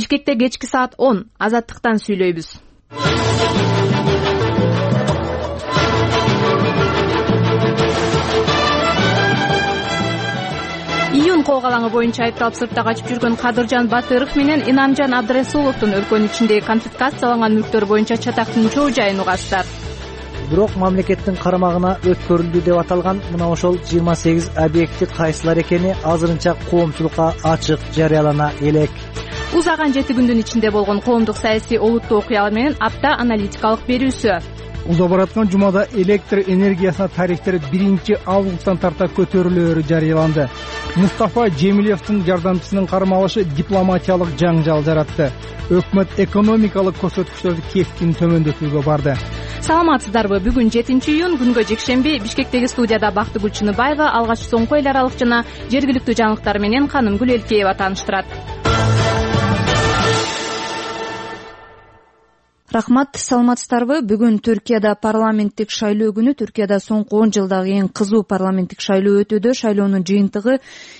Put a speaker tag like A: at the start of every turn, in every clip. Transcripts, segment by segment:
A: Бишкекте кечки саат 10 Азаттыктан сүйлөйбүз. Июнь кок алаңы боюнча айыпталып сыртта качып жүргөн Кадыржан Батыров менен Инамжан Абдрасуловдун өлкөнүн ичиндеги конфискацияланган мүлктөр боюнча чатактын чоо жайын угасыздар.
B: Бирок мамлекеттин карамагына өткөрүлдү деп аталган мына ошол 28 объекти кайсылар экени азырынча коомчулукка ачык жарыялана элек.
A: Узаган 7 күндүн ичинде болгон коомдук саясий олуттуу окуялар менен апта аналитикалык берүүсү.
C: Уза бараткан жумада электр энергиясына тарифтер 1-августтан тарта көтөрүлөөрү жарыяланды. Мустафа Жемилевдин жардамчысынын кармалышы дипломатиялык жаңжал жаратты. Өкмөт экономикалык көрсөткүчтөрдү кескин төмөндөтүүгө барды.
A: Саламатсыздарбы? Бүгүн 7-июнь күнгө жекшемби Бишкектеги студияда Бактыгүл Чыныбаева алгач соңку эл аралык жана жергиликтүү жаңылыктар менен Канымгүл Элкеева тааныштырат.
D: Рахмат, саламатсыздарбы? Бүгүн Түркияда парламенттик шайлоо күнү. Түркияда соңку 10 жылдагы эң кызуу парламенттик шайлоо өтүүдө. Шайлоонун жыйынтыгы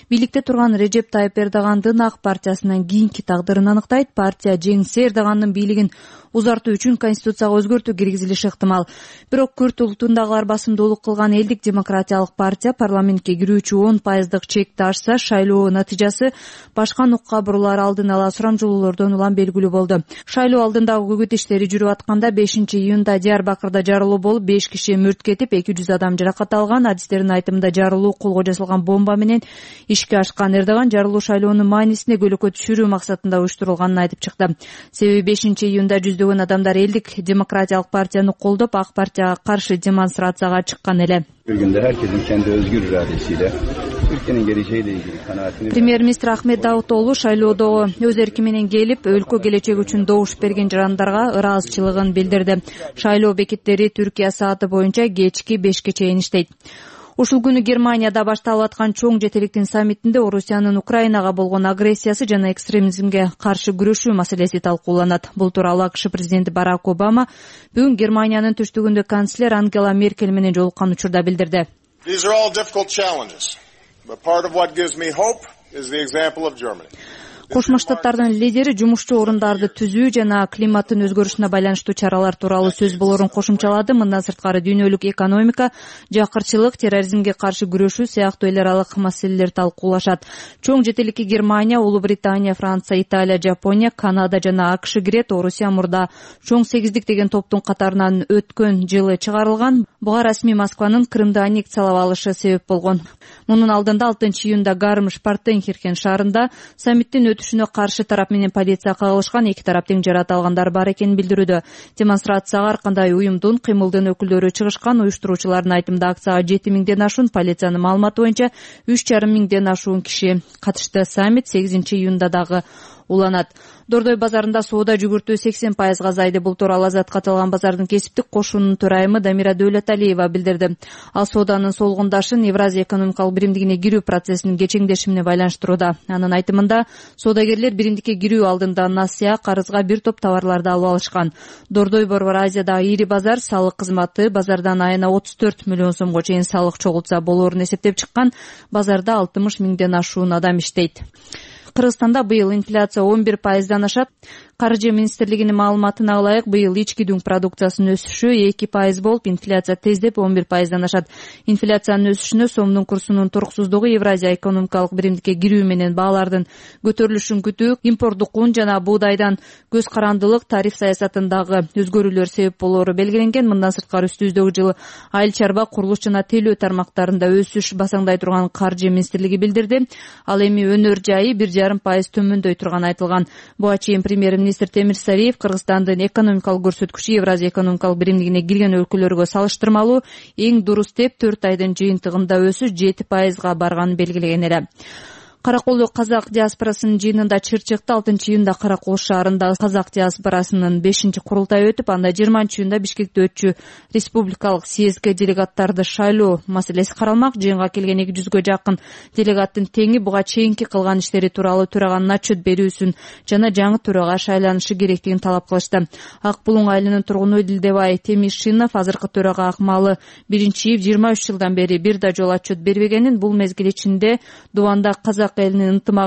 D: бийликте турган Режеп Тайып Эрдогандын ак партиясынан кийинки тагдырын аныктайт. Партия жеңсе Эрдогандын бийлигин узартуу үчүн конституцияга өзгөртүү киргизилиши ыктымал. Бирок Күрд улутундагылар басымдуулук кылган Элдик демократиялык партия парламентке кирүүчү 10% чекти ашса, шайлоо натыйжасы башка нукка бурулар алдын ала сурамжылоолордон улам белгилүү болду. Шайлоо алдындагы көкөт иштери жүрүп атканда 5-июнда Диярбакырда жарылуу болуп, 5 киши мүрт кетип, 200 адам жаракат алган. Адистердин айтымында жарылуу колго жасалган бомба менен ишке ашкан. Эрдоган жарылуу шайлоонун маанисине көлөкө түшүрүү максатында уюштурулганын айтып чыкты. Себеби 5-июнда жүздөгөн адамдар Элдик демократиялык партияны колдоп, ак партияга каршы демонстрацияга чыккан эле. Премьер-министр Ахмет Давутоглу шайлоодо өз эрки менен келип, өлкө келечеги үчүн добуш берген жарандарга ыраазычылыгын билдирди. Шайлоо бекеттери Түркия сааты боюнча кечки 5-ке чейин иштейт. Ушул күнү Германияда башталып аткан чоң жетеликтин саммитинде Орусиянын Украинага болгон агрессиясы жана экстремизмге каршы күрөшүү маселеси талкууланат. Бул тууралуу АКШ президенти Барак Обама бүгүн Германиянын түштүгүндө канцлер Ангела Меркель менен жолуккан учурда билдирди. Кошмо Штаттардын лидери жумушчу орундарды түзүү жана климаттын өзгөрүшүнө байланыштуу чаралар тууралуу сөз болорун кошумчалады. Мындан сырткары дүйнөлүк экономика, жакырчылык, терроризмге каршы күрөшүү сыяктуу эл аралык маселелер талкуулашат. Чоң жетеликке Германия, Улуу Британия, Франция, Италия, Жапония, Канада жана АКШ кирет. Орусия мурда чоң сегиздик деген топтун катарынан өткөн жылы чыгарылган. Буга расмий Москванын Крымды аннексиялап алышы себеп болгон. Мунун алдында 6-июнда Гармиш-Партенхирхен шаарында саммиттин өтүшүнө каршы тарап менен полиция кагылышкан. Эки тарап тең жараат алгандар бар экенин билдирүүдө. Демонстрацияга ар кандай уюмдун, кыймылдын өкүлдөрү чыгышкан. Уюштуруучулардын айтымында акцияга 7000ден ашуун, полициянын маалыматы боюнча 3500ден ашуун киши катышты. Саммит 8-июнда дагы уланат. Дордой базарында соода жүгүртүү 80% азайды. Бул тууралуу Азатка аталган базардын кесиптик кошунунун төрайымы Дамира Дөөлөталиева билдирди. Ал сооданын солгундашын Евразия экономикалык биримдигине кирүү процессинин кечеңдеши менен байланыштырууда. Анын айтымында соодагерлер биримдикке кирүү алдында насыя, карызга бир топ товарларды алып алышкан. Дордой Борбор Азиядагы ири базар салык кызматы базардан айына 34 миллион сомго чейин салык чогултса болоорун эсептеп чыккан. Базарда 60 миңден ашуун адам иштейт. Кыргызстанда быйыл инфляция 11%дан ашат. Каржы министрлигинин маалыматына ылайык, быйыл ички дүң продукциясынын өсүшү 2% болуп, инфляция тездеп 11%дан ашат. Инфляциянын өсүшүнө сомдун курсунун туруксуздугу, Евразия экономикалык биримдикке кирүү менен баалардын көтөрүлүшүн күтүү, импорттук ун жана буудайдан көз карандылык, тариф саясатындагы өзгөрүүлөр себеп болоору белгиленген. Мындан сырткары өстүүздөгү жылы айыл чарба, курулуш жана телөө тармактарында өсүш басаңдай турган Каржы министрлиги билдирди. Ал эми өнөр жайы 1,5% төмөндөй турганы айтылган. Буга чейин премьер-министр Темир Сариев Кыргызстандын экономикалык көрсөткүчү Евразия экономикалык биримдигине кирген өлкөлөргө салыштырмалуу эң дурус деп 4 айдын жыйынтыгында өсүш 7%га барганын белгилеген эле. Караколдо казак диаспорасынын жыйынында чыр чыкты. 6-июнда Каракол шаарында казак диаспорасынын 5-курултайы өтүп, анда 20-июнда Бишкекте өтчү республикалык съездге делегаттарды шайлоо маселеси каралмак. Жыйынга келген 200гө жакын делегаттын теңи буга чейинки кылган иштери тууралуу төраганын отчет берүүсүн жана жаңы төрага шайланышы керектигин талап кылышты. Ак Булуң айылынын тургуну Дилдебай Темишинов азыркы төрага акмалы 1-иев 23 жылдан бери бир да жолу отчет бербегенин, бул мезгил ичинде Дубанда казак элинин ынтымагы